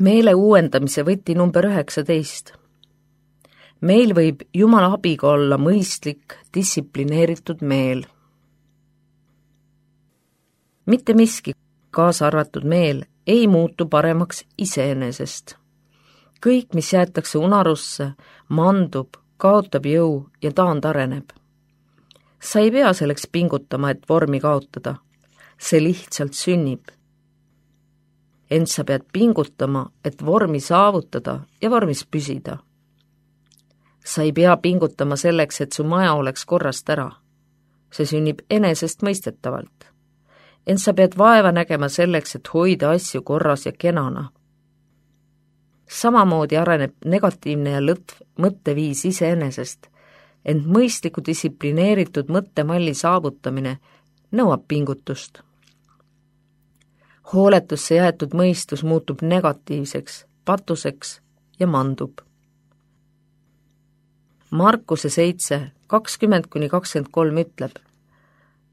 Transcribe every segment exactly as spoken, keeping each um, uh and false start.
Meele uuendamise võti number üheksateist. Meil võib Jumala abiga olla mõistlik, distsiplineeritud meel. Mitte miski, kaasa arvatud meel, ei muutu paremaks iseenesest. Kõik, mis jäetakse unarusse, mandub, kaotab jõu ja taandareneb. Sa ei pea selleks pingutama, et vormi kaotada. See lihtsalt sünnib. Ent sa pead pingutama, et vormi saavutada ja vormis püsida. Sa ei pea pingutama selleks, et su maja oleks korrast ära. See sünnib enesest mõistetavalt. Ent sa pead vaeva nägema selleks, et hoida asju korras ja kenana. Samamoodi areneb negatiivne ja lõtv mõtteviis iseenesest, ent mõistliku distsiplineeritud mõttemalli saavutamine nõuab pingutust. Hooletusse jäetud mõistus muutub negatiivseks, patuseks ja mandub. Markuse seitse, kakskümmend kuni kakskümmend kolm ütleb,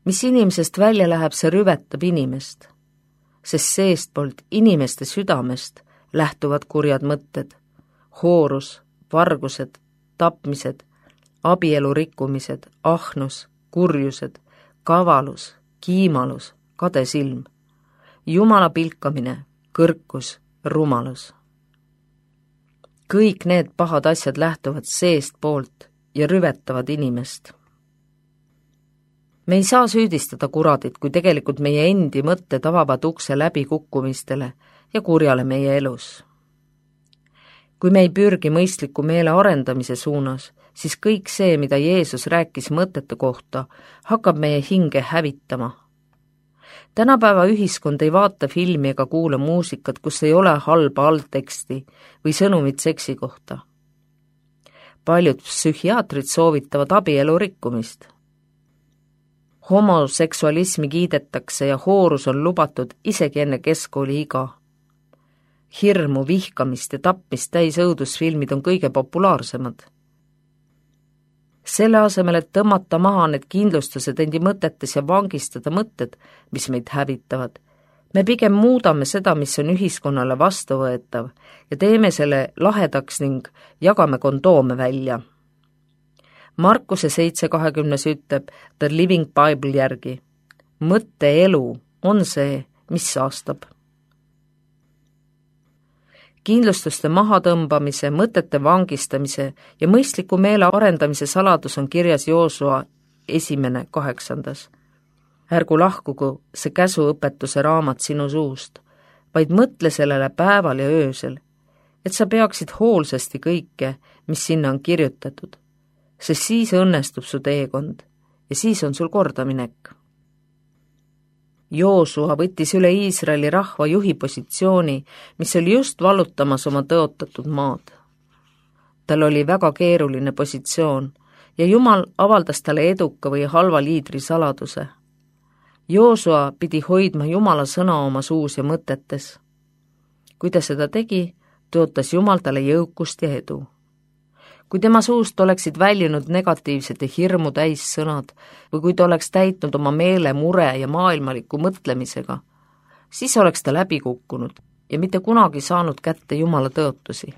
mis inimesest välja läheb, see rüvetab inimest, sest seestpoolt inimeste südamest lähtuvad kurjad mõtted, hoorus, vargused, tapmised, abielu rikkumised, ahnus, kurjused, kavalus, kiimalus, kadesilm, Jumala pilkamine, kõrkus, rumalus. Kõik need pahad asjad lähtuvad seest poolt ja rüvetavad inimest. Me ei saa süüdistada kuradit, kui tegelikult meie endi mõtted avavad ukse läbi kukkumistele ja kurjale meie elus. Kui me ei pürgi mõistliku meele arendamise suunas, siis kõik see, mida Jeesus rääkis mõtete kohta, hakkab meie hinge hävitama. Tänapäeva ühiskond ei vaata filmi ega kuula muusikat, kus ei ole halba allteksti või sõnumit seksi kohta. Paljud psühhiaatrid soovitavad abielu rikkumist. Homoseksualismi kiidetakse ja hoorus on lubatud isegi enne keskkooli iga. Hirmu, vihkamist ja tapmist täis õudusfilmid on kõige populaarsemad. Selle asemel, et tõmmata maha need kindlustused endi mõtetes ja vangistada mõtted, mis meid hävitavad, me pigem muudame seda, mis on ühiskonnale vastuvõetav ja teeme selle lahedaks ning jagame kondoome välja. Markuse seitse kahekümnes ütleb The Living Bible järgi, mõtteelu on see, mis saastab. Kindlustuste mahatõmbamise, mõtete vangistamise ja mõistliku meele arendamise saladus on kirjas Joosua esimene kaheksandas. Ärgu lahkugu see käsuõpetuse raamat sinu suust, vaid mõtle sellele päeval ja öösel, et sa peaksid hoolsasti kõike, mis sinna on kirjutatud, sest siis õnnestub su teekond ja siis on sul kordaminek. Joosua võttis üle Iisraeli rahva juhi positsiooni, mis oli just vallutamas oma tõotatud maad. Tal oli väga keeruline positsioon ja Jumal avaldas talle eduka või halva liidri saladuse. Joosua pidi hoidma Jumala sõna oma suus ja mõtetes. Kui ta seda tegi, tõotas Jumal talle jõukust ja edu. Kui tema suust oleksid väljunud negatiivsed ja hirmu täis sõnad või kui ta oleks täitnud oma meele mure ja maailmaliku mõtlemisega, siis oleks ta läbi kukkunud ja mitte kunagi saanud kätte Jumala tõotusi.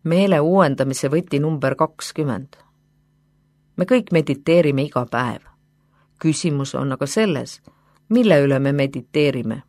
Meele uuendamise võti number kakskümmend. Me kõik mediteerime iga päev. Küsimus on aga selles, mille üle me mediteerime.